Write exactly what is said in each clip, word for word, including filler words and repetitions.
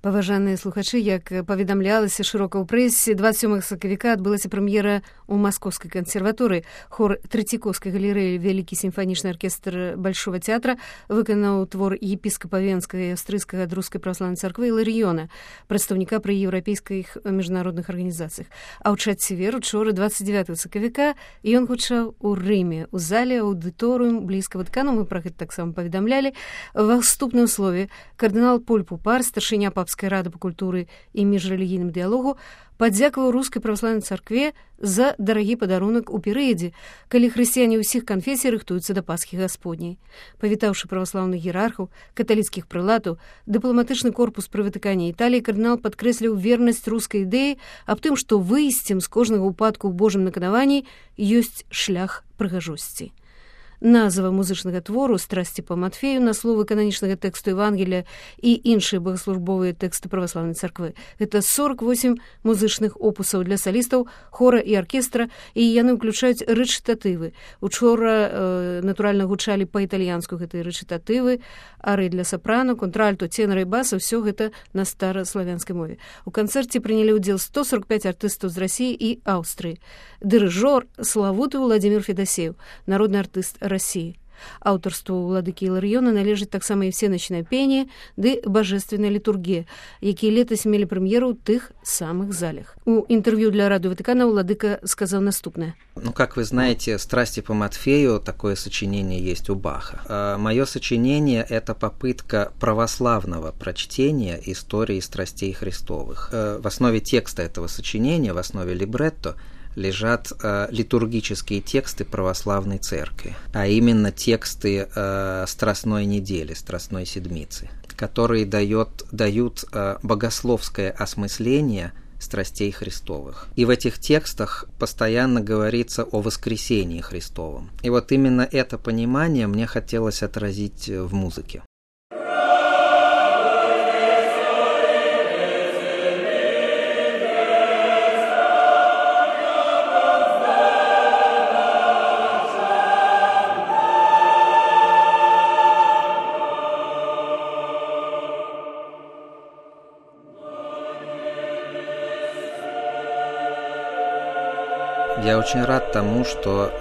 Паважаныя слухачы, як паведамлялася шырока ў прэсе, дваццаць сёмага сакавіка адбылася прэм'ера ў Маскоўскай кансерваторыі. Хор Трэцікоўскай галерэі «Вялікі сімфанічны аркестр Большого театра» выканаў твор епіскапа Венскага і аўстрыйскага ад рускай праваслаўнай царквы Іларыёна, прадстаўніка пры еўрапейскіх міжнародных арганізацыях. А ў чацвер, учора, дваццаць дзевятага сакавіка, ён гучаў у Рыме, у зале аўдыторыум блізка Ватыкану, мы пра гэта таксама паведамлялі. Ва ўступным слове кардынал Поль Пупар, старшыня папскай рады па культуры і міжрэлігійным дыялогу, падзякаваў рускай праваслаўнай царкве за дарагі падарунак у перыядзе, калі хрысціяне ўсіх канфесій рыхтуюцца да Пасхі Гасподняй. Павітаўшы праваслаўных іерархаў, каталіцкіх прылатаў, дыпламатычны корпус пры Ватыкане Італіі, кардынал падкрэсліў вернасць рускай ідэі аб тым, што выйсцем з кожнага ўпадку ў Божым наканаванні ёсць шлях прыгажосці. Назва музычнага твору «Страсці па Матфею» на словы кананічнага тэксту Евангелія і іншыя богаслужбовыя тэксты праваслаўнай царквы. Гэта сорок восем музычных опусаў для салістаў, хора і аркестра, і яны ўключаюць рэчытатывы. Учора, э, натуральна, гучалі па-італьянску гэтыя рэчытатывы, ары для сапрано, контральто, тенора і баса, ўсё гэта на стараславянскай мове. У канцэрце прынялі ўдзел сто сорок пяць артыстаў з Расіі і Аўстрыі. Дырыжор славуты Владимир Федасеев, народны артыст России. Аўтарству ўладыкі Іларыёна належыць таксама і всеночное пение ды божественная літургія, якія летась мелі прэм'еру ў тых самых залях. У интервью для Радио Ватикана Владыка сказал наступное. Ну, как вы знаете, «Страсти по Матфею» такое сочинение есть у Баха. А мое сочинение – это попытка православного прочтения истории страстей Христовых. В основе текста этого сочинения, в основе либретто, лежат э, литургические тексты православной церкви, а именно тексты э, Страстной недели, Страстной седмицы, которые дает, дают э, богословское осмысление страстей Христовых. И в этих текстах постоянно говорится о воскресении Христовом. И вот именно это понимание мне хотелось отразить в музыке. Я очень рад тому, что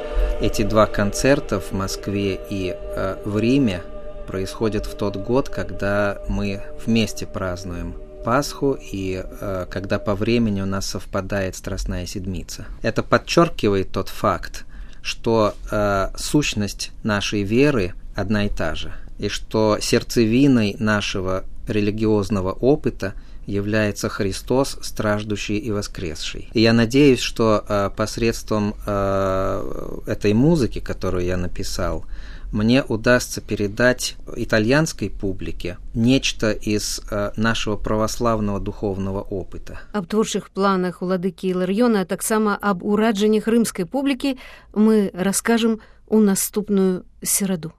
эти два концерта в Москве и э, в Риме происходят в тот год, когда мы вместе празднуем Пасху и э, когда по времени у нас совпадает Страстная Седмица. Это подчеркивает тот факт, что э, сущность нашей веры одна и та же, и что сердцевиной нашего религиозного опыта является Христос, страждущий и воскресший. И я надеюсь, что э, посредством э, этой музыки, которую я написал, мне удастся передать итальянской публике нечто из э, нашего православного духовного опыта. Аб творчых планах уладыкі Іларыёна, а таксама аб ураджаннях рымскай публікі мы раскажам у наступную сераду.